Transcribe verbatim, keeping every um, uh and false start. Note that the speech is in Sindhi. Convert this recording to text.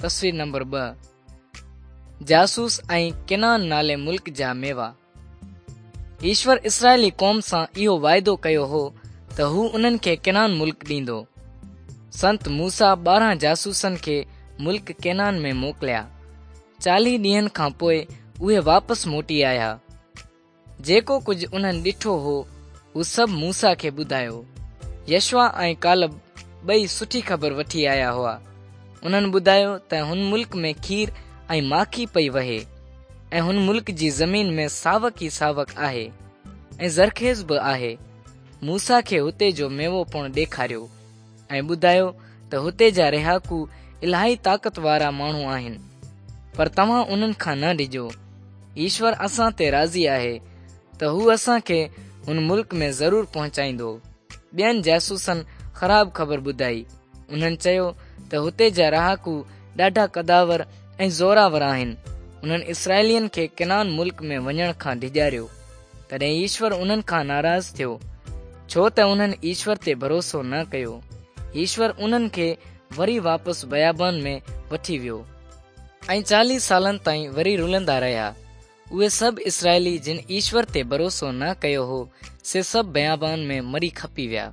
تصوير نمبر ٻه. جاسوس ۽ ڪنعان نالي ملڪ جا ميوا. ايشور اسرائيلي قوم سان اهو واعدو ڪيو هو ته هو انهن کي ڪنعان ملڪ ڏيندو. سنت موسيٰ ٻارهن جاسوسن کي ملڪ ڪنعان ۾ موڪليا. چاليهه ڏينهن کان پوءِ اهي واپس موٽي آيا. جيڪو ڪجهه انهن ڏٺو هو هو سڀ موسيٰ کي ٻڌايو. يشوع ۽ ڪالب ٻئي سٺي خبر وٺي آيا هئا. انهن ٻڌايو ته هن ملڪ ۾ کير ۽ ماکي پئي وهي ۽ هن ملڪ جي زمين ۾ ساوڪ ئي ساوڪ آهي ۽ زرخيز به آهي. موسيٰ کي هتي جو ميوو پڻ ڏيکاريو ۽ ٻڌايو ته هتي جا رهاڪو الاهي طاقت وارا ماڻهو آهن، پر توهان انهن کان نه ڊڄو. ايشور اسان تي راضي آهي ته هو اسان کي هن ملڪ ۾ ضرور پهچائيندو. ٻين جاسوسن خراب خبر ٻڌائي. انهن چيو ته هتي جا رهاڪو ڏاڍا قداور ۽ زوراور آهن. انهن اسرائيلين کي ڪنعان ملڪ ۾ وڃڻ کان ڊيڄاريو. تڏهن ايشور انهن کان ناراض ٿيو، ڇو ته انهن ايشور تي ڀروسو نه ڪيو. ايشور انهن کي وري واپس بيابان ۾ وٺي ويو ۽ چاليهه سالن تائين وري رلندا رهيا. اهي سڀ اسرائيلي جن ايشور تي ڀروسو نه ڪيو هو، سي سڀ بيابان ۾ مري کپي ويا.